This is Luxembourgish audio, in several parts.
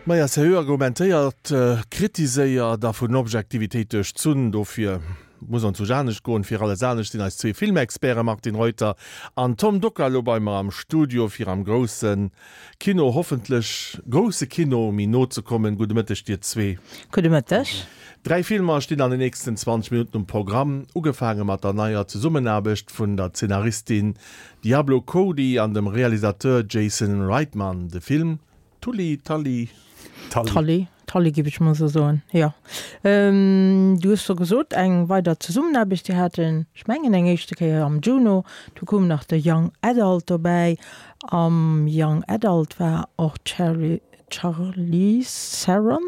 Maja, seriö argumentéiert, kritiséiert a vun Objektivitéit duerchzunn. Dofir muss ons sech anescht goen. Fir alles anescht sinn eis zwee Filmexperten Martin Reuter an Tom Dockal elo bei mer am Studio, fir am grousse Kino, hoffentlech grousse Kino, méi no ze kommen. Gudde Mëtteg dir zwee. Gudde Mëtteg. Dräi Filmer stinn an den nächsten 20 Minutten um Programm, ugefaange mat der neier Zesummenaarbecht vun der Zeenaristin Diablo Cody an dem Realisateur Jason Reitman. De Film Tully, Tully, Tully. Tully, Tully géif ech mol esou soen, jo. Du hues scho gesot, eng weider Zesummenaarbecht. Si haten, ech mengen, eng éischte Kéier am Juno, du koum nach de Young Adult dobäi. Am Young Adult war och d'Cherry, Charlize Theron,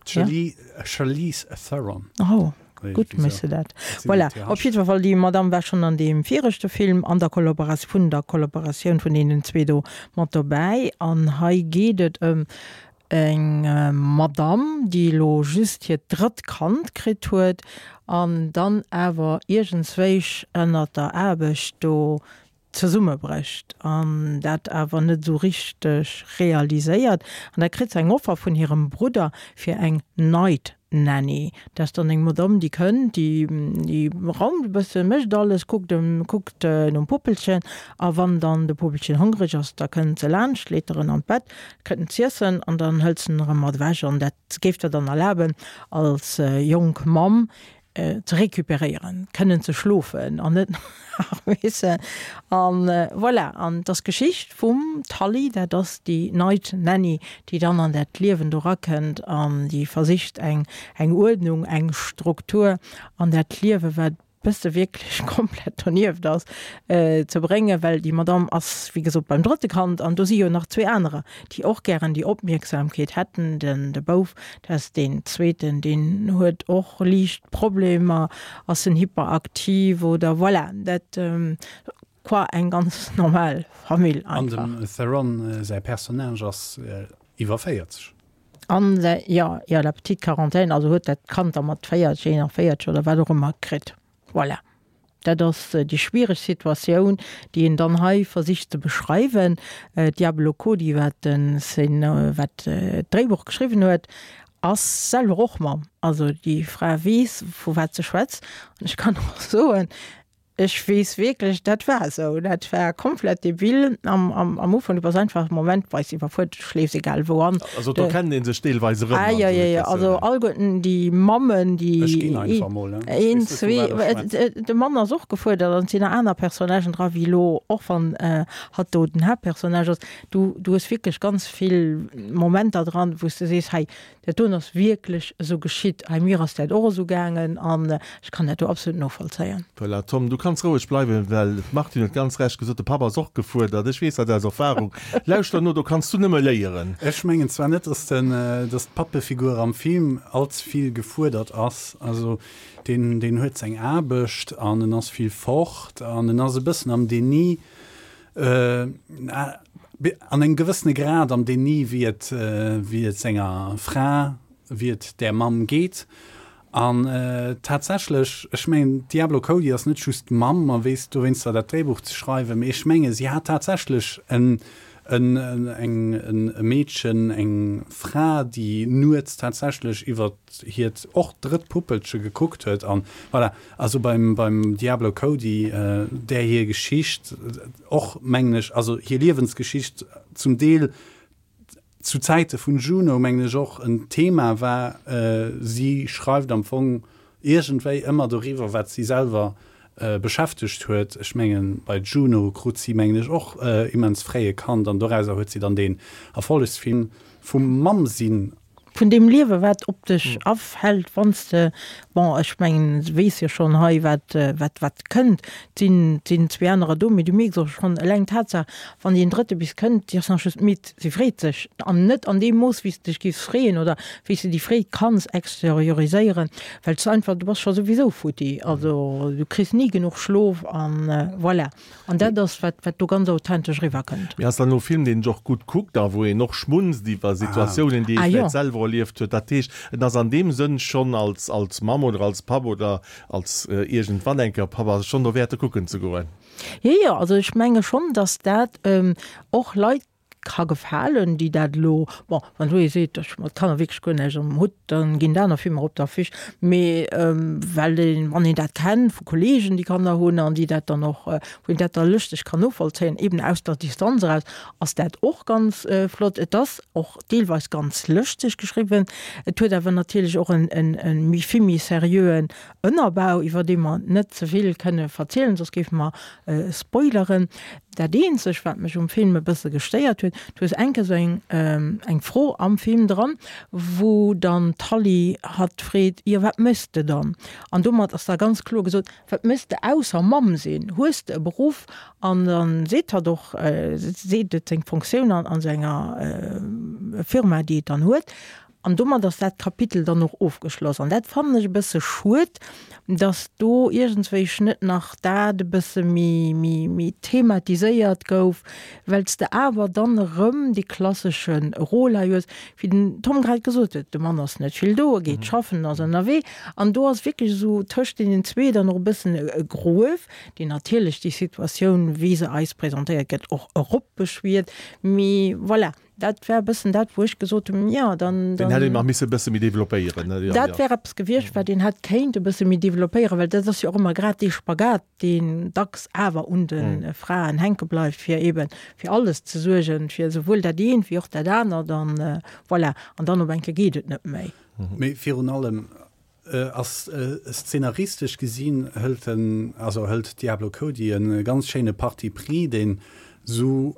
Charlize Theron. Oh, gutt méchs de dat. Voilà, op jiddwer Fall, déi Madamm war schonn an deem viregte Film an der Kollaboratioun, vun der Kollaboratioun vun deenen zwee do mat dobäi. An hei geet et ëm eng Madamm, déi elo just hiert drëtt Kand kritt huet an dann awer iergendswéich ënnert der Aarbecht do zesummebrécht an dat awer net esou richteg realiséiert an da kritt se eng Offer vun hirem Brudder fir eng Night Nanny. Dat ass dann eng Madame déi kënnt, déi déi raumt e bëssen, mécht alles, kuckt em kuckt nom Puppelchen a wann dann de Puppelchen hongreg ass, da kënnt se laanscht, leet der en an d'Bett, kritt en z'iessen an dann hëlt se en erëm mat ewech an dat géif der dann erlaben als jonk Mamm ze récupéréieren, kënnen ze schlofen an net nach misse an voilà. An et ass d'Geschicht vum Tully, dat ass déi Night Nanny, déi dann an dat Liewen do rakënnt an déi versicht eng eng Uerdnung, eng Struktur an dat Liewe wat bësse wierklech komplett donieft ass, ze bréngen, well déi Madame ass wéi gesot beim drëtte Kand an do si jo nach zwee anerer, déi och gären déi Opmierksamkeet hätten. Den de Bouf, dat ass deen zweeten, deen huet och liicht Problemer, ass en hyperaktiv oder voilà, dat quoi eng ganz normal Famill einfach. An dem Theron säi Personnage ass iwwer 40. An säi, jo, jo, la petite quarantaine, also huet dat Kand da mat 40, 41 oder wat och ëmmer kritt. Voilà. Dat ass déi schwiereg Situatioun, déi een dann hei versicht ze beschreiwen. D'Diablo Cody, wat den wat d'Dréibuch geschriwwen huet, ass selwer och Mamm. Also déi Fra weess, vu wat se schwätzt. An ech kann och soen, ech weess wierklech, dat war esou. Dat war komplett debil am, am, am Ufank. Du bass einfach momentweis iwwerfuerdert, du schléifs egal wou an. Also do kennt ee sech deelweis erëm. Ah jo, jo, jo, also alleguerten déi Mammen, déi. Ech ginn einfach mol, ne? Een, zwee, de Mann ass och gefuerdert an et sinn nach aner Personnagen dra wéi elo, och wann hatt do den Haaptpersonnage ass. Du, du hues wierklech ganz vill Momenter dran, wou s de sees, hei, Dat doen ass wierklech esou geschitt. Hei mir ass dat och esou gaangen an ech kann dat do absolut novollzéien. Voilà, Tom, du kanns roueg bleiwen, well d'Martine huet ganz Recht gesot, de Papp ass och gefuerdert. Ech weess dat aus Erfahrung. Lauschter no, do kanns du nëmme léieren. Ech mengen zwar net, dass den, dass d'Pappefigur am Film all ze vill gefuerdert ass. Also deen, deen huet seng Aarbecht an en ass vill fort an en ass e bëssen am Déni. An engem gewëssene Grad am Déni, wéi et, wéi et senger Fra, wéi et där Mamm geet. An tatsächlech, ech mengen, d'Diablo Cody ass net just Mamm a weess dowéinster dat Dréibuch ze schreiwen, mee ech menge si hat tatsächlech en, en, eng, e Meedchen, eng Fra, déi nuets tatsächlech iwwer hiert och drëtt Puppelche gekuckt huet. An voilà, also beim, beim Diablo Cody, där hir Geschicht och, mengen ech, also hir Liewensgeschicht zum Deel zu Zäite vun Juno, mengen ech, och en Thema war. Si schreift am Fong iergendwéi ëmmer doriwwer, wat si selwer beschäftegt huet. Ech mengen, bei Juno krut si, mengen ech, och immens fréi e Kand an dorauser huet si dann deen Erfollegsfilm vum Mamm-Sinn Vun deem Liewe wat op dech afält, wann s de, bon, ech mengen, s weess jo schonn hei wat, wat, wat kënnt, 't sinn, 't sinn zwee anerer do, mee du mierks och schonn eleng d'Tatsaach, wann deen drëtte bis kënnt, déi ass nach just midd, si freet sech, an net an deem Mooss wéi s de dech giffs freeën oder wéi s de déi Freed kanns exterioriséieren, well s de einfach, du bass scho souwisou futti, also du kriss ni genuch Schlof an voilà. An dat ass, wat, wat do ganz authentesch eriwwerkënnt. Mee ass dann elo e Film, deen sech och gutt kuckt a wou een och schmunzt iwwer Situatiounen, déi ee vläicht selwer erlieft huet. Dat heescht, et ass an deem Sënn schonn als, als Mamm oder als Papp oder als iergendwann eng Kéier Papp, ass et schonn dowäert, e kucken ze goen. Jo, jo, also ech menge schonn, datt dat och Leit. ka gefalen, déi dat elo, bon, wann elo ee seet, ech hu mat Kanner wierklech guer näischt am Hutt, da ginn et aner Filmer op d'Affiche. Mee well een, wann een dat kennt vu Kolleegen, déi Kanner hunn an déi dat dann och, wou een dat da lëschteg kann novollzéien, eben aus der Distanz eraus, ass dat och ganz flott. Et ass och deelweis ganz lëschteg geschriwwen. Et huet awer natierlech och en méi vill méi seriöen Ënnerbau, iwwer dee mer net ze vill kënne verzielen, soss géife mer spoileren. Dat eenzeg, wat mech um Film e bësse gestéiert huet, du hues eng Kéier esou eng eng Fro am Film dran, wou dann d'Hallie hatt freet, Jo, wat méchs de dann? An domat ass da ganz kloer gesot, Wat méchs de ausser Mamm sinn? Hues de e Beruff? An da seet hatt och, seet et seng Fonctioun an an senger Firma, déi et dann huet. An domat ass dat Kapitel dann och ofgeschloss. An dat fannen ech e bësse schued, dass do iergendswéich net nach dat e bësse méi, méi, méi thematiséiert gouf, well s de awer dann erëm dee klassesche Rôle hei hues, wéi den Tom grad gesot huet, de Mann ass net vill do, e geet schaffen, ass ënnerwee. An do ass wierklech esou tëscht deenen zwee dann och e bëssen e Gruef, deen natierlech déi Situatioun, wéi se eis presentéiert gëtt, och eropbeschwiert. Mee voilà, Dat war e bëssen dat, wou ech gesot hunn, jo, dann. Deen hätt een nach misse e bësse méi developpéieren. Dat wär eppes gewiescht, wat een hätt kéint e bësse méi developpéieren, well dat ass jo och ëmmer grad dee Spagat, deen dacks awer un de Fraen hänke bleift, fir eeben fir alles ze suergen, fir esouwuel dat eent wéi och dat anert an voilà. An dann op eng Kéier geet et net méi. Mee virun allem ass szenaristesch gesinn hëlt en, also hëlt Diablo Cody e ganz schéine Parti pris, deen esou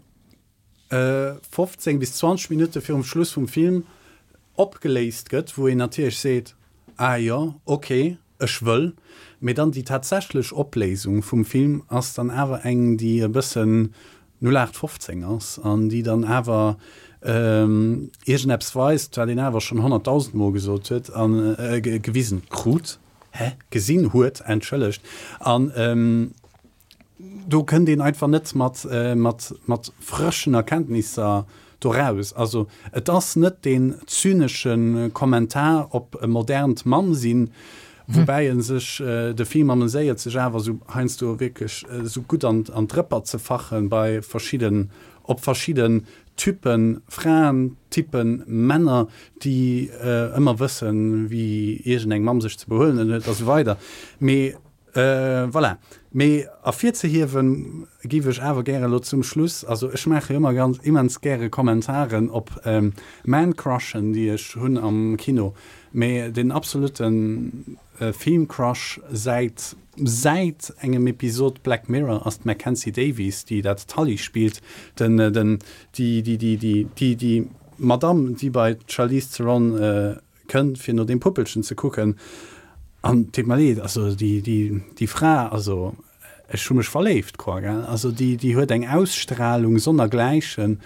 15 bis 20 Minutte virum Schluss vum Film opgeléist gëtt, wou een natierlech seet, ah jo, ok, ech wëll. Mee dann déi tatsächlech Opléisung vum Film ass dann awer eng, déi e bëssen 0815 ass an déi dann awer iergendeppes weist, wat een awer schonn honnertdausend Mol gesot huet a gewisen krut, hä, gesinn huet, entschëllegt. An do kënnt een einfach net mat, mat, mat frëschen Erkenntnisser do raus. Also et ass net deen zynesche Kommentar op e modernt Mamm-Sinn, woubäi e sech, de Film ameséiert sech awer esou heiansdo wierklech esou gutt an, an d'Rëpper ze fachen bei verschidden, op verschidden Typen, Fraen, Typen, Männer, déi ëmmer wëssen, wéi iergendeng Mamm sech ze behuelen huet a sou weider. Mee Voilà. Mee ervirzehiewen géif ech awer gäre elo zum Schluss, also ech maache jo ëmmer ganz immens gäre Kommentaren op Man-Crushen, déi ech hunn am Kino, mee den absolute Film-Crush säit säit engem Episod Black Mirror ass d'Mackenzie Davies, déi dat Tully spillt, den den déi déi déi déi déi déi Madamm, déi bei d'Charlize Theron Kënnt fir no deem Puppelchen ze kucken an deet mer leed, also déi déi déi Fra, also ech hu mech verléift quoi gell, also déi déi huet eng Ausstrahlung sonnergläichen,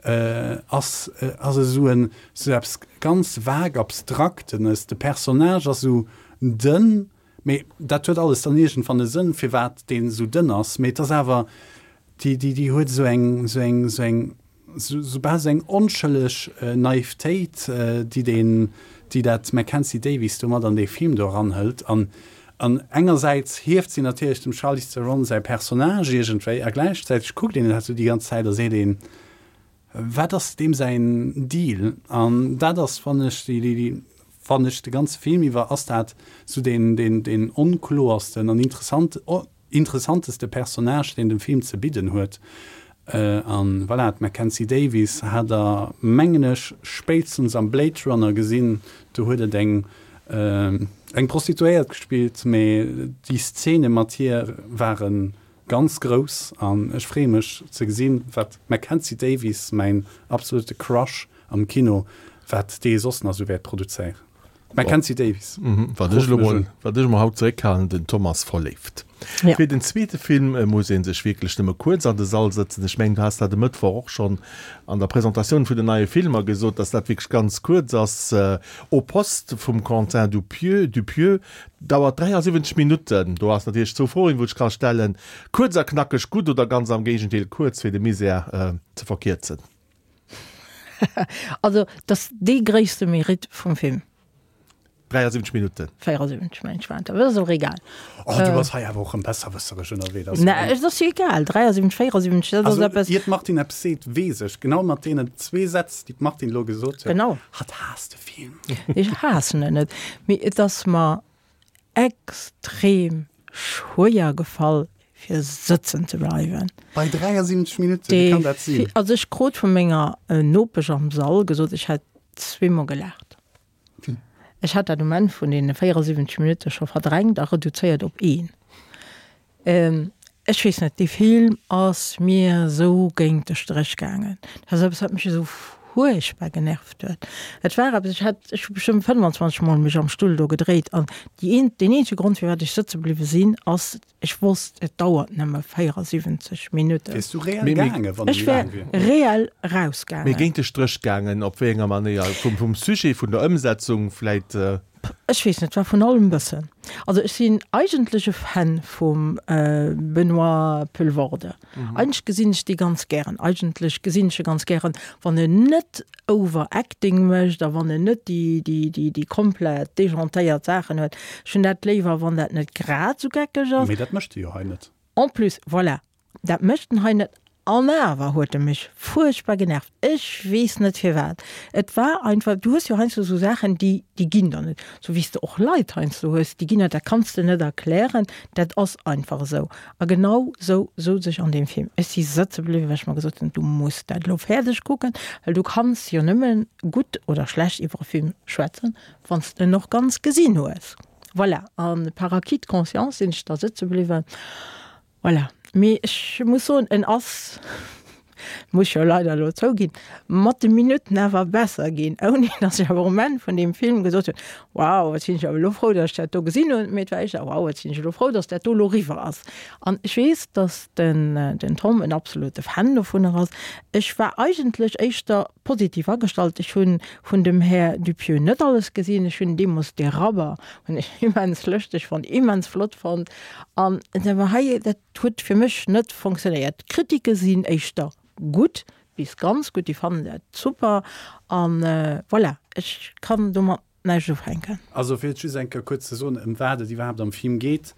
ass ass esou en esou eppes ganz vague abstraktenes, de Personnage ass esou dënn, mee dat huet alles dann iergendwann e Sënn firwat deen esou dënn ass, mee et ass awer déi déi déi huet esou eng esou eng esou eng Soubal sou eng onschëlleg Naivtéit, déi deen, déi dat Mackenzie Davis do mat an dee Film do eranhëlt. An, an engersäits hieft si natierlech dem Charlize Theron säi Personnage iergendwéi a gläichzäiteg kuckt een dat sou déi ganz Zäit a seet een, Wat ass deem säin Deal? An dat ass, fannen ech, déi, déi, fannen ech de ganze Film iwwer ass dat sou deen, deen, deen onkloersten an interessant, Interessanteste Personnage deen den Film ze bidden huet. An voilà, d'Mackenzie Davis hat der mengen ech spéitstens am Blade Runner gesinn, do huet et eng eng Prostituéiert gespillt, mee déi Szene mat hir ware ganz grouss an ech freeë mech ze gesinn wat d'Mackenzie Davis, mäin absolute Crush am Kino, wat déi soss nach esou wäert produzéieren. Mackenzie Davis. Wat ech elo mol, wat ech mol haut zeréckhalen, den Thomas verléift. Ja. Fir den zweete Film muss ee sech wierklech nëmme kuerz an de Sall sëtzen. Ech mengen, du has dat e Mëttwoch och schonn an der Presentatioun vun den neie Filmer gesot, dass dat wierklech ganz kuerz ass. Au poste vum Quentin Dupieux, Dupieux dauert 73 Minutten. Do ass natierlech zwou Froen, wou ech ka stellen, Kuerz a knackeg gutt oder ganz am Géigendeel kuerz, fir de Misär ze verkierzen? Also, dat ass dee gréisste Mérite vum Film. 73 Minutten. 74 mengen ech waren et, awer dat ass och egal. Oh, du bass hei awer och rëm besserwësseresch ënnerwee. Dat ass Nee, et ass jo egal, 73, 74, dat ass Also, eppes. ier d'Martine eppes seet, weess ech, genau mat deenen zwee Sätz, déi d'Martine elo gesot huet, Genau. hatt haasst de Film. Ech haassen en net, mee et ass mer extrem schwéier gefall fir sëtzen ze bleiwen. Bei 73 Minutten, wéi kann dat sinn? Also ech krut vu menger Nopesch am Sall gesot, ech hätt zweemol gelaacht. Ech hat dat um Enn vun deene 74 Minutte scho verdrängt a reduzéiert op een. Ech weess net, dee Film ass mir esou géint de Stréch gaangen. Dat ass eppes, wat mech esou fuerchtbar genervt huet. Et war eppes, ech hat, ech hu bestëmmt 25 Mol mech am Stull do gedréit an déi een, deen eenzege Grond, firwat ech sëtze bliwwe sinn, ass, ech wosst, et dauert nëmme 74 Minutten. Wiers du reell gaangen, wann et Ech méi wär laang wier? reell rausgaangen. Mee géint de Stréch gaangen, op wéi enger Manéier? Vum, vum Sujet, vun der Ëmsetzung vläit? Ech weess net, war vun allem e bëssen. Also ech sinn eigentlech e Fan vum Benoît Poelvoorde. Eigentlech gesinn ech dee ganz gären. Eigentlech gesinn ech e ganz gären, wann en net Overacting mécht a wann en net déi, déi, déi, déi komplett dejantéiert Saachen huet. Ech hunn dat léiwer, wann dat net grad esou geckeg ass. Mee dat mécht e jo hei net. En plus, voilà, Dat mécht en hei net. An awer huet e mech fuerchtbar genervt. Ech weess net firwat. Et war einfach, du hues jo heiansdo esou Saachen, déi, déi ginn der net. Sou wéi s de och Leit heiansdo hues, déi ginn der, dat kanns de net erklären, dat ass einfach esou. A genau esou souz ech an deem Film. Ech si sëtze bliwwen, well ech mer gesot hunn, du muss dat elo fäerdeg kucken, well du kanns jo nëmme gutt oder schlecht iwwer e Film schwätzen, wann s de en och ganz gesinn hues. Voilà, a par acquis de conscience sinn ech da sëtze bliwwen. Voilà. Mee ech muss soen, en ass, muss ech jo leider elo zouginn, mat de Minutten awer besser ginn, ouni datt ech awer um Enn vun deem Film gesot hunn, Wow, wat sinn ech awer elo frou, datt ech dat do gesinn hunn. Mee et war éischter, Wow, wat sinn ech elo frou, datt dat do elo eriwwer ass. An ech weess, datt den, den Tom en absolute Fan dovunner ass. Ech war eigentlech éischter positiv agestallt. Ech hu vun dem Här Dupieux net alles gesinn. Ech hunn deemools De Rabber hunn ech immens lëschteg fonnt, immens flott fonnt. An awer hei, dat huet fir mech net fonctionnéiert. D'Kritike sinn éischter gutt bis ganz gutt, déi fannen dat super. An voilà, ech kann domat näischt ufänken. Also fir et just eng Kéier kuerz ze soen, ëm wat et iwwerhaapt am Film geet,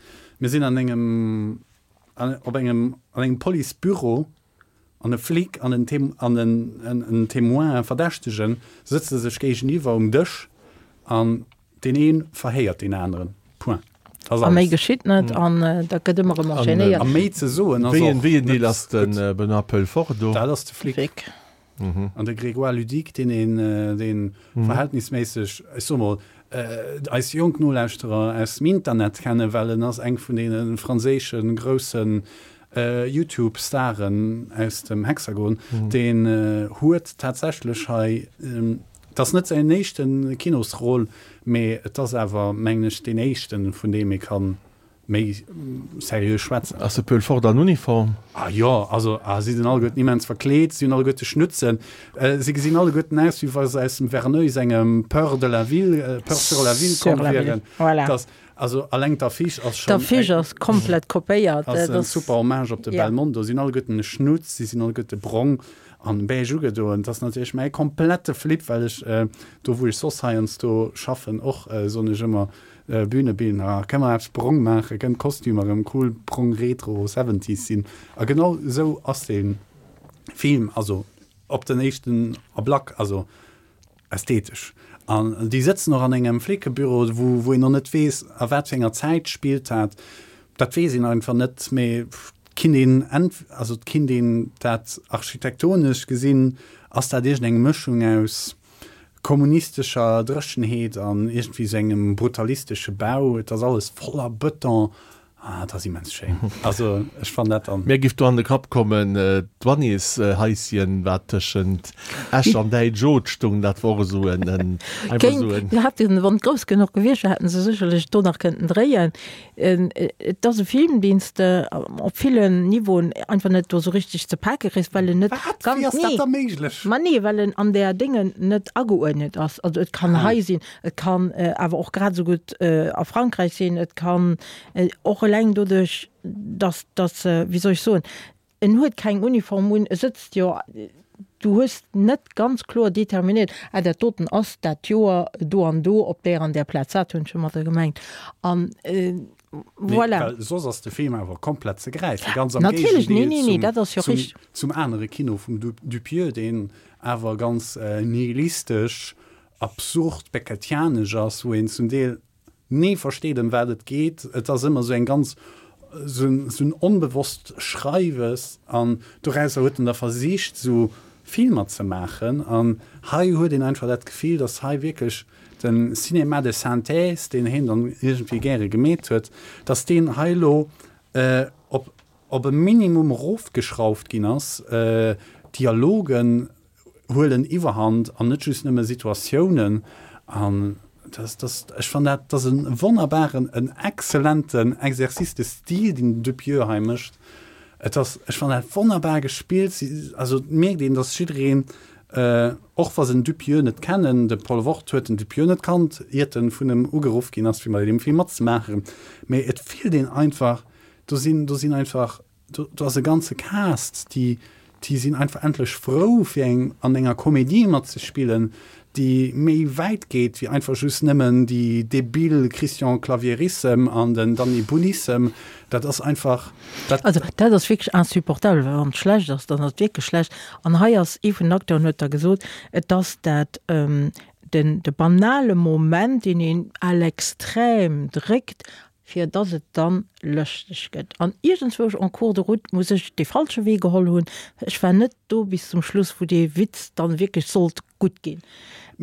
Mir sinn an engem, op engem, an engem Policebüro an e Flic an en Tem, an en, en Témoin, e Verdächtegen, sëtze sech géigeniwwer um Dësch an Deen ee verhéiert deen aneren. Point. Dat ass A méi alles. geschitt net an dat gëtt ëmmer erëm enchaînéiert. A méi ze soen ass Wéi en och wéi en Deel net ass de gutt. Benoît Pelfort do? Dat ass de Flic. Flic. An de Grégoire Ludig, deen een, deen verhältnisméisseg, ech soe mol, eis jonk Nolauschterer aus dem Internet kennen, well en ass eng vun deene franséische groussen Youtube-Staren aus dem Hexagon, deen huet tatsächlech hei, Et ass net säin éischte Kinosrôle, mee et ass awer, mengen ech, deen éischten, vun deem ee ka méi seriö schwätzen. Ass de Pöhl fort an Uniform? Ah jo, also ah, si sinn alleguerten immens verkleet, si hunn alleguerte Schnutzen, si gesinn alleguerten aus, wéi wa se aus dem Verneuil sengem Peur de la ville, Peur sur la ville komm wieren. Voilà. Dass, also alleng d'Affiche ass schonn D'Affiche ass komplett kopéiert. Ass en super Hommage op de Belmondo. Si hunn alleguerten e Schnutz, si sinn alleguerte brong. An beige ugedoen. Dat ass natierlech mäi komplette Flip, well ech do wou ech soss heiansdo schaffen och, soen ech ëmmer, Bühnebildner, kënne mer eppes brong maachen, kënnen d'Kostümer erëm cool brong retro seventies sinn. A genau esou ass dee Film, also op den éischten Ablack, also Ästhetesch. An déi sëtzen och an engem Flickebüro, wou, wou een och net weess, a wat fir enger Zäit spillt dat. Dat weess een einfach net, mee et kinnt een ent, also et kinnt een dat architektonesch gesinn, ass dat iergendeng Mëschung aus kommunistescher Dréchenheet an iergendwéi sou engem brutalistesche Bau. Et ass alles voller Bëton Ah, dat ass immens schéin. Also ech fannen dat dann. Mir giff do an de Kapp kommen, d'Wannieshaischen, wat tëschent Esch an Däitsch-Oth stung, dat wor och esou en, einfach esou en. Kéint, hätten, wann et grouss genuch gewiescht wär, hätten se sécherlech do nach kënnten dréien. Et ass e Film, deen s de op villen Niveauen einfach net do esou richteg ze pake kriss, well en net Wat? ganz, Wéi ass dat nee, da méiglech? ma nee, well en an där Déngen net ageuerdnet ass. Also et kann hei sinn, Et kann awer och grad esou gutt a Frankräich sinn. Et kann och eleng doduerch, datt, datt, wéi soll ech soen, en huet keng Uniform un, e sëtzt jo. Du hues net ganz kloer determinéiert, ah dat doten ass dat Joer do an do op där an där Plaz. Dat hunn ech domadder gemengt. An voilà. Well soss ass de Film awer komplett ze gräifen, ganz am Natierlech, nee, Géigendeel nee, nee, dat ass jo zum, richteg. zum anere Kino vum Dupieux, deen awer ganz nihilistesch, absurd, beckettianesch ass, wou een zum Deel Ni versteet ëm wat et geet. Et ass ëmmer esou eng ganz, esou en onbewosst Schreiwes an dorausser huet en da versicht esou Filmer ze maachen. An hei huet een einfach dat Gefill, datt hei wierklech de Cinéma de synthèse, deen hien dann iergendwéi gäre gemeet huet, datt deen hei elo op op e Minimum erofgeschrauft ginn ass. D'Dialogen huelen Iwwerhand an net just nëmme Situatiounen. An das, das, ech fannen dat, dat ass e wonnerbaren, en exzellenten Exercice de style, deen den Dupieux hei mécht. Et ass, ech fannen dat wonnerbar gespillt. Si, also et mierkt een, datt jiddereen, och wa se den Dupieux net kennen, de Paul Wort huet den Dupieux net kannt, iert en vun em ugeruff ginn ass, fir bei deem Film matzemaachen, mee et fillt een einfach, do sinn, do sinn einfach Do, do ass e ganze Cast, déi, déi sinn einfach endlech frou, fir eng, an enger Komedie matzespillen, déi méi wäit geet wéi einfach just nëmmen déi debil Christian Clavierissem an den Danny Boonissem. Dat ass einfach, dat. Also dat ass wierklech insupportabel, well wann et schlecht ass, dann ass et wierklech schlecht. An hei ass, ee vun den Acteuren huet da gesot, et ass dat, den, de banale Moment, deen een à l'extrême dréckt, fir dass et dann lëschteg gëtt. An iergendzwousch en cours de route muss ech dee falsche Wee geholl hunn. Ech war net do bis zum Schluss, wou dee Witz dann wierklech sollt gutt ginn.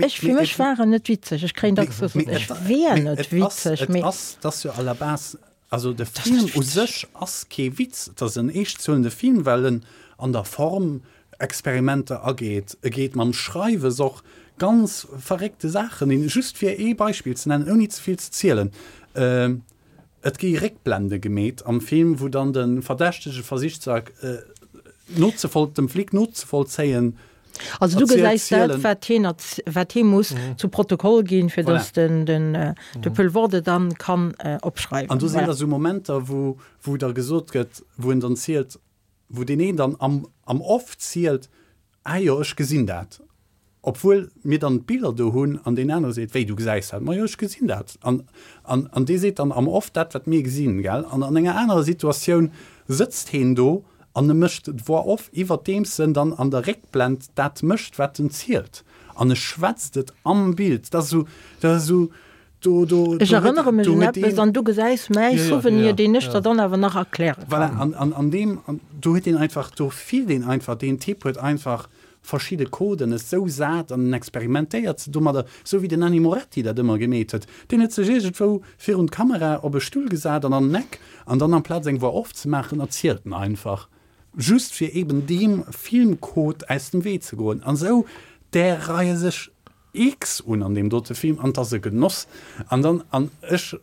Ech, fir mech war en net witzeg. Ech kréien dacks gesot, ech wär net witzeg, mee. Et ass, et ass jo à la base, also de Film u sech ass kee Witz. Et ass en eeschtzuelende Film, well en an der Form Experimenter ageet. E geet mam Schreiwes och ganz verréckte Saachen un. Just fir ee Beispill ze nennen, ouni ze vill ze zielen, Et gi Réckblende gemeet am Film, wou dann de Verdächtege versicht ze nozevoll, dem Flic nozevollzéien. Also du gesäis dat, wat hien, wat hie muss zu Protokoll ginn, fir datt den, den, de Poelvoorde dann kann opschreiwen. An do sinn da sou Momenter, wou, wou da gesot gëtt, wou en dann zielt, wou deen een dann am, am Off zielt, Ah jo, ech gesinn dat, obwuel mir dann d'Biller do hunn, an deen anere seet, Wéi, du gesäis dat? Ma jo, ech gesinn dat. An, an, an dee seet dann am Off dat, wat mir gesinn, gell? An an enger anerer Situatioun sëtzt heen do an e mécht d'Voix off, iwwerdeems en dann an der Réckblend dat mécht, wat en zielt. An e schwätzt et am Bild. Dat ass esou, dat ass esou, Do, do, Ech erënnere mech un eppes an du gesäis mäi Souvenir, deen ech der dann awer nach erkläre kann. Voilà, an, an, an deem, an do huet een einfach, do fillt een einfach, deen Typ huet einfach verschidde Coden esou sat an en experimentéiert se domadder, esou wéi den Nanni Moretti dat ëmmer gemeet huet. Deen huet sech iergendwou virun d'Kamera op e Stull gesat an an en Eck an dann amplaz eng Voix off ze maachen, erzielt en einfach, just fir eben deem Filmcode aus dem Wee ze goen. An esou där reie sech X un an deem dote Film an 't ass e Genoss. An dann, an ech,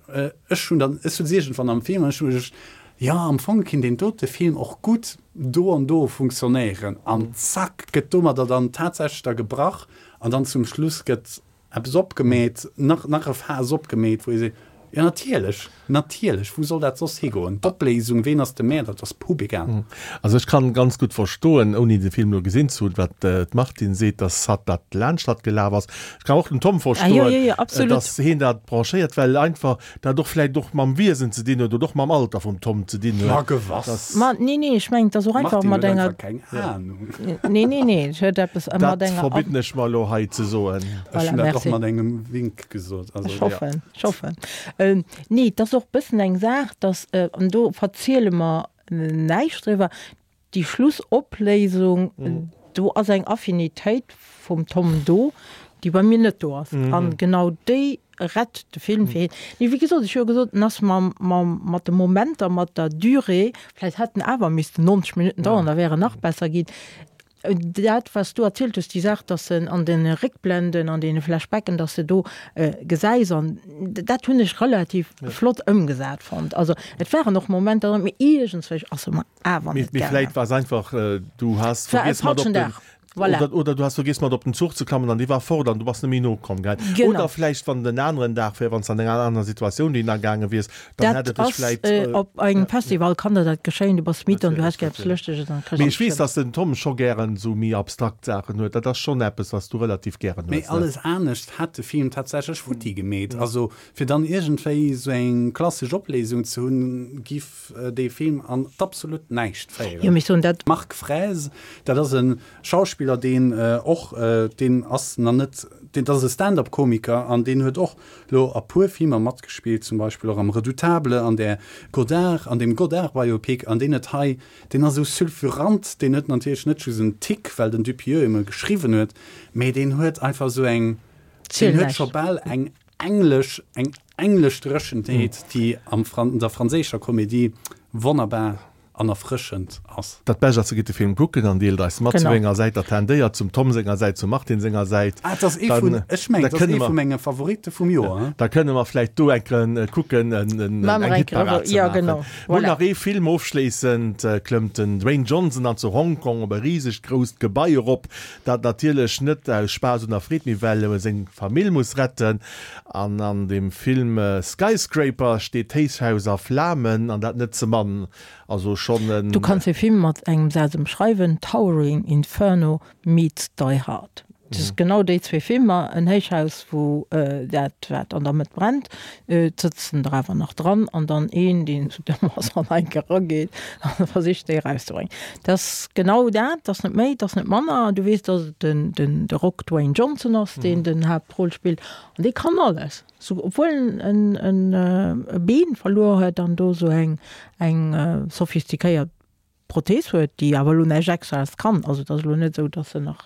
ech hunn dann, ech sot iergendwann am Film an ech hu mech, jo am Fong kinnt deen dote Film och gutt do an do funktionéieren an zack gëtt domadder dann tatsächlech da gebrach an dann zum Schluss gëtt eppes opgemeet, nach, nach e Faass opgemeet, wou ee seet, jo natierlech. Natierlech, wou soll dat soss higoen? D'Opléisung, ween ass de Mäerder, dat ass pup egal. Also ech kann ganz gutt verstoen, ouni de Film elo gesinn ze hunn, wat d'Martine seet, dass hatt dat laanscht hatt gelaf ass. Ech kann och den Tom verstoen, dass heen dat branchéiert, well einfach dat och vläicht och mam Wiesen ze dinn huet oder och mam Alter vum Tom ze dinn huet. Ma gewass. Ma nee, nee, ech mengen, et ass och einfach mat enger. Martine huet einfach keng Ahnung. Nee, nee, nee, et huet eppes mat enger. Dat verbidden ech mer elo hei ze soen. Ech hunn dat och mat engem Wink gesot. Ech hoffen. Ech hoffen. Nee, et ass och e bëssen eng Saach, dass, an do verziele mer näischt driwwer, déi Schlussopléisung, do ass eng Affinitéit vum Tom do, déi bei mir net do ass. An genau déi rett de Film fir hien. Mee wéi gesot, ech hu jo gesot, en ass mam, mam, mat de Momenter, mat der Durée, vläicht hätt en awer missten 90 Minutten dauern, da wär en nach besser ginn. Dat, wat s du erzielt hues, déi Saach, dass en an de Réckblenden, an deene Flashbacken, dass de do gesäis, an dat hunn ech relativ flott ëmgesat fonnt. Also et waren och Momenter dran, mee iergendswéi ass se mer awer net gaangen. Mee vläit war es einfach, du has vergiess mat op den. Voilà. Oder, oder du has vergiess mat op den Zuch ze klammen an dee war fort an du bass net méi nokomm, gell? Genau. Oder vläicht wann et en aneren Dag wär, wann s de an enger anerer Situatioun dohinner gaange wiers, dann hätt Dat et dech ass, vläicht. äh, op engem Ja. Festival kann der dat geschéien, du bass midd an du Natierlech, häss gär eppes natierlech. Lëschteges an kriss Mee ech weess, Angscht. dass den Tom scho gären esou méi abstrakt Saachen huet. Dat ass schonn eppes, wat s du relativ gären Mee hues, ne? alles anescht hätt de Film tatsächlech futti gemeet. Also fir dann iergendwéi esou eng klassesch Opléisung ze hunn, giff dee Film an d'absolut Näischt féieren. Jo, mee ech soen dat. Marc Fraise, dat ass e Schauspiller, deen och, deen ass nach net, deen, dat ass e Stand-up-Komiker an deen huet och lo a puer Filmer matgespillt, zum Beispill och am Redoutable, an där Godard, an deem Godard-Biopic, an deen huet hei, deen ass esou sulfurant, deen huet natierlech net just en Tic, well den Dupieux em e geschriwwen huet, mee deen huet einfach esou eng, deen huet scho bal eng Englesch, eng englesch Dréchenheet, déi am Fran der franséischer Komedie wonnerbar an erfrëschend ass. Dat Bescht ass, gitt de Film kucken an deelt eis mat, zu wéi enger Säit der tendéiert, zum Tom senger Säit, zum Martin senger Säit. Ah, et ass ee vun, ech mengen, et ass ee vu menge Favoritte vum Joer. Da kënne mer vläicht do eng Kéier kucken, eng Hitparad ze maachen. Mol nach ee Film ofschléissend, klëmmt den Dwayne Johnson dann zu Hongkong op e risegt grousst Gebai erop, Dat natierlech net aus Spaass un der Freed, mee well e seng Famill muss retten. An an dem Film Skyscraper steet d'Héichhaus a Flamen, an dat net ze mann. Also schonn en. Du kanns dee Film mat engem Saz ëmschreiwen, Towering Inferno meets Die Hard. Et ass genau déi zwee Filmer, en Héichhaus wou dat wat an der Mëtt brennt, et sëtzen der awer nach dran, an dann een deen esou domm ass an enk erageet an versicht déi erauszebréngen. Dat ass genau dat, dat ass net méi, dat ass net manner. Du weess, datt et den den de Rock Dwayne Johnson ass, deen den Haaptroll spillt an dee kann alles, sou obwuel en en e Been verluer huet an do sou eng eng sophistiquéiert Prothees huet, déi awer elo näischt Extraes kann. Also et ass elo net esou, datt se nach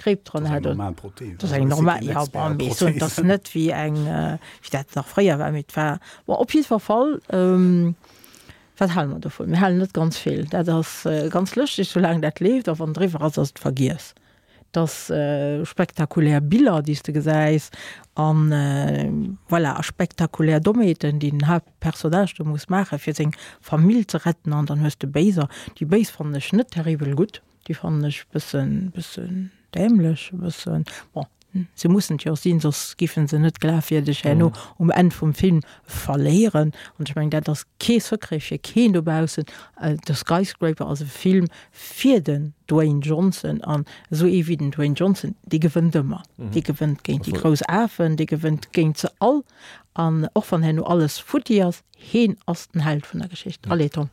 Kréip dran hätt. Dat ass eng normal Prothees. Dat ass eng normal, jo, bon, mee ech soen, et ass net wéi eng, wéi dat nach fréier war, mee et war, bon, op jiddwer Fall, wat hale mer dovun? Mir halen net ganz vill. Dat ass ganz lëschteg, soulaang dat leeft, a wann et eriwwer ass, ass et vergiess. Et ass spektakulär Biller, déi s de gesäis, an voilà, a spektakulär Dommheeten, déi den Haaptpersonnage do muss maachen, fir seng Famill ze retten. An dann hues de Béiser. Déi Béis fannen ech net terribel gutt. Déi fannen ech bëssen, bëssen dämlech, e bëssen, bon, se mussen et jo och sinn, soss giffen se net glafwierdeg herno um Enn vum Film verléieren. An ech mengen, dat ass kee Secret fir keen dobaussen, The Skyscraper ass e Film fir den Dwayne Johnson an esou ee wéi den Dwayne Johnson, dee gewënnt ëmmer. Dee gewënnt géint déi grouss Afen, dee gewënnt géint se all an och wann herno alles futti ass, heen ass den Held vun der Geschicht. Allez Tom.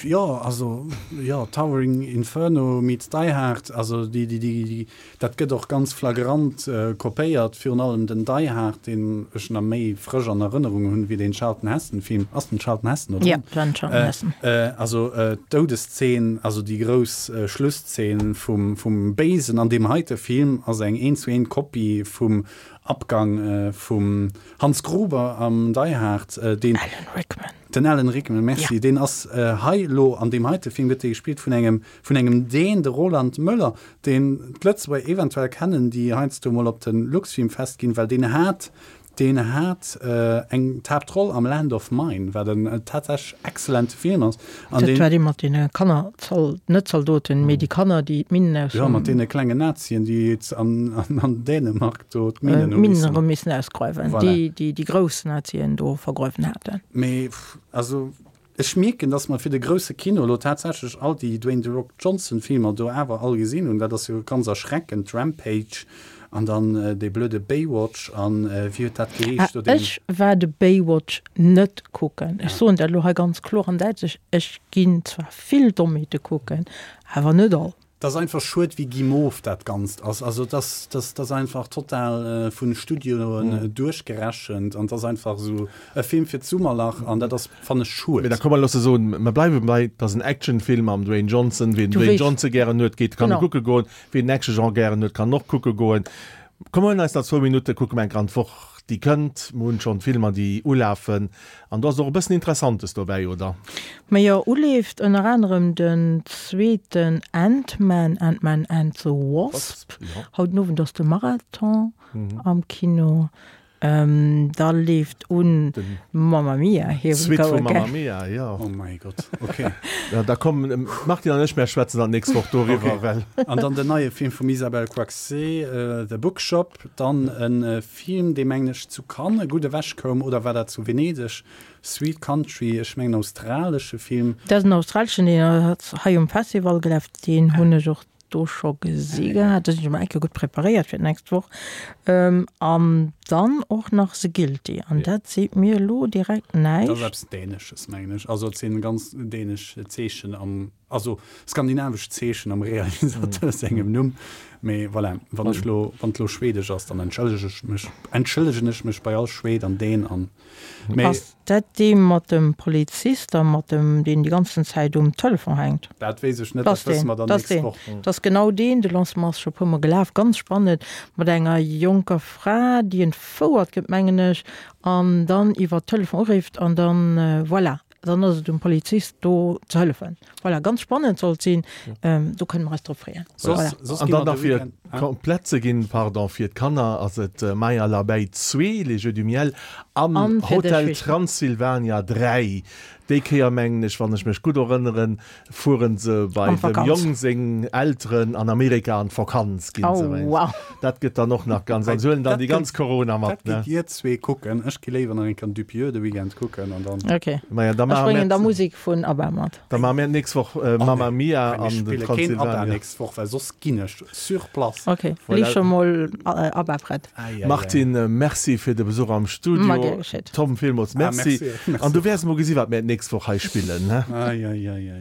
Jo, also jo, Towering Inferno meets Die Hard, also déi, déi, déi, dat gëtt och ganz flagrant kopéiert, virun allem den Die Hard, deen ech nach méi frësch an Erënnerung hunn, wéi deen Charlton Heston Film. Ass den Charlton Heston do dran? Ja, den Charlton Heston. Also d'Doudesszeen, also déi grouss Schlusszeen vum, vum Béisen an deem heite Film ass eng eent zu eent Kopie vum Abgang vum Hans Gruber am Die Hard, deen. Alan Rickman. Den Alan Rickman, merci. Deen ass hei elo an deem heite Film gëtt dee gespillt vun engem, vun engem Dän, de Roland Möller, deen d'Lëtzebuerger eventuell kennen, déi heiansdo mol op de Luxfilmfest ginn, well deen hat, deen hat eng d'Haaptroll am Land of Mine, wat en tatsächlech exzellente Film ass. An Dat deen. war dee mat deene Kanner, Zol, net Zaldoten, mee déi Kanner, déi d'Minnen aus Jo, mat deene klengen Nazien, déi an, an, an Dänemark do d'Minnen hu missen. D'Minnen erëm missen ausgräuwen, voilà. Déi, déi déi grouss Nazien do vergräuwen haten. Mee, also, ech mierken, dass mer fir de grousse Kino elo tatsächlech all déi Dwayne The Rock Johnson Filmer do awer all gesinn hunn. Dat ass jo ganz erschreckend, Rampage an dann dee blöde Baywatch an wéi huet dat geheescht do, deen. Ech war de Baywatch net kucken. Ech soen dat elo hei ganz kloer an däitlech, ech ginn zwar vill Dommheete kucken, awer net all. Et ass einfach schued wéi guimauve dat Ganzt ass. Also et ass, dat ass einfach total vun Studioen duerchgerechent an et ass einfach esou e Film fir d'Summerlach an dat ass, fannen ech, schued. Mee da komm mer loosse soen, mer bleiwe bei, et ass en Actionfilm mam Dwayne Johnson. Wien den Dwayne Johnson gären huet, geet, kann e kucke goen. Wien den Action-Genre gären huet, kann och kucke goen. Komm mer huelen eis nach zwou Minutte, kucke mer eng Kéier an d'Woch déi kënnt. Mer hunn schonn Filmer déi ulafen an do ass och e bëssen Interessantes dobäi, oder? Majo, uleeft ënner anerem den zweeten Ant-Man, Ant-Man and the Wasp. Haut den Owend ass de Marathon am Kino. Da leeft un Mamma Mia, Here We Go Again. Mamma Mia, jo. Oh mäi Gott, ok. Ja, da kommen d'Martine an ech, mär schwätzen dann d'nächst Woch doriwwer, well. An dann den neie Film vum Isabelle Coixet, The Bookshop. Dann e Film, dee mengen ech zu Cannes gutt ewech koum, oder war dat zu Venedeg? Sweet Country, ech mengen australesche Film. Dat ass en australeschen, deen ass hei um Festival gelaf, deen hunn ech och do scho gesi gehat. Da sinn ech emol eng Kéier gutt preparéiert fir d'nächst Woch. An dann och nach The Guilty. An dat seet mir elo direkt näischt. Dat ass eppes Dänesches, mengen ech. Also et si ganz dänesch Zeechen am, also skandinavesch Zeechen am Realisateur sengem Numm. Mee voilà, wann ech lo, wann et lo schwedesch ass, dann entschëllege ech mech, entschëllegen ech mech bei all Schwed an Dän an. Mee. Ass dat dee mat dem Polizist a mat dem, deen déi ganzen Zäit um Telefon hänkt? Dat weess ech net, dat wësse mer dann nächst Woch. Dat ass genau deen. De Lancement ass scho e puermol gelaf. Ganz spannend, mat enger jonker Fra, déi entfouert gëtt, mengen ech, an dann iwwer Telefon urifft an dann, voilà, dann ass et um Polizist do ze hëllefen. Voilà, ganz spannend soll et sinn. Do kënne mer eis drop freeën. Voilà. An dann nach fir komplett ze ginn, pardon, fir d'Kanner ass et Maya l'abeille 2, Les Jeux du Miel an Hotel Transylvania 3. Déi Kéier mengen ech, wann ech mech gutt erënneren, fueren se bei dem Jong seng Elteren an Amerika an d'Vakanz ginn se. Oh wow. Dat gëtt dann och nach ganz, an se huelen dann déi ganz Corona mat. Dat gitt dir zwee kucken, ech gi léiwer nach eng Kéier Dupieux de Weekend kucken an dann. Ok, Maja, da ech bréngen da Musek vun ABBA mat. Da maache mir d'nächst Woch Mamma Mia an den Transylvania. Keen ABBA nächst Woch, well soss ginn ech sur place. Ok, lee scho mol ABBA prett. Martine, merci fir de Besuch am Studio. Ma gär geschétt. Tom, villmools merci. An du wäers mol gesi wat mir d'nächst Woch hei spillen, ne? Ei, ei, ei, ei.